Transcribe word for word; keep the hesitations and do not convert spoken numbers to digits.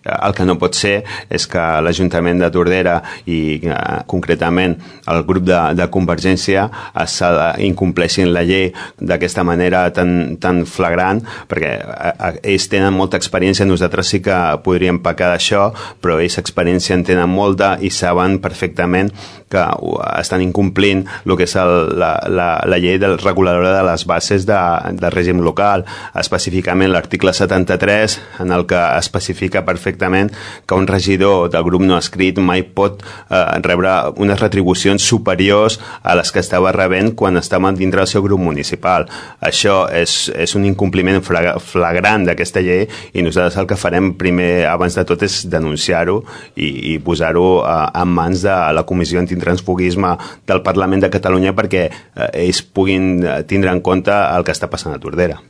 El que no pot ser és que l'Ajuntament de Tordera i eh, concretament el grup de, de Convergència es incompleixin la llei d'aquesta manera tan, tan flagrant, perquè eh, ells tenen molta experiència, nosaltres sí que podríem pecar d'això, però ells experiència en tenen molta i saben perfectament que estan incomplint el que és el, la, la, la llei del reguladora de les bases de, de règim local, específicament l'article setanta-tres, en el que especifica perfectament que un regidor del grup no escrit mai pot eh, rebre unes retribucions superiors a les que estava rebent quan estava dintre del seu grup municipal. Això és, és un incompliment flagrant d'aquesta llei i nosaltres el que farem primer, abans de tot, és denunciar-ho i, i posar-ho eh, en mans de la Comissió Antitransfugisme del Parlament de Catalunya perquè eh, ells puguin tindre en compte el que està passant a Tordera.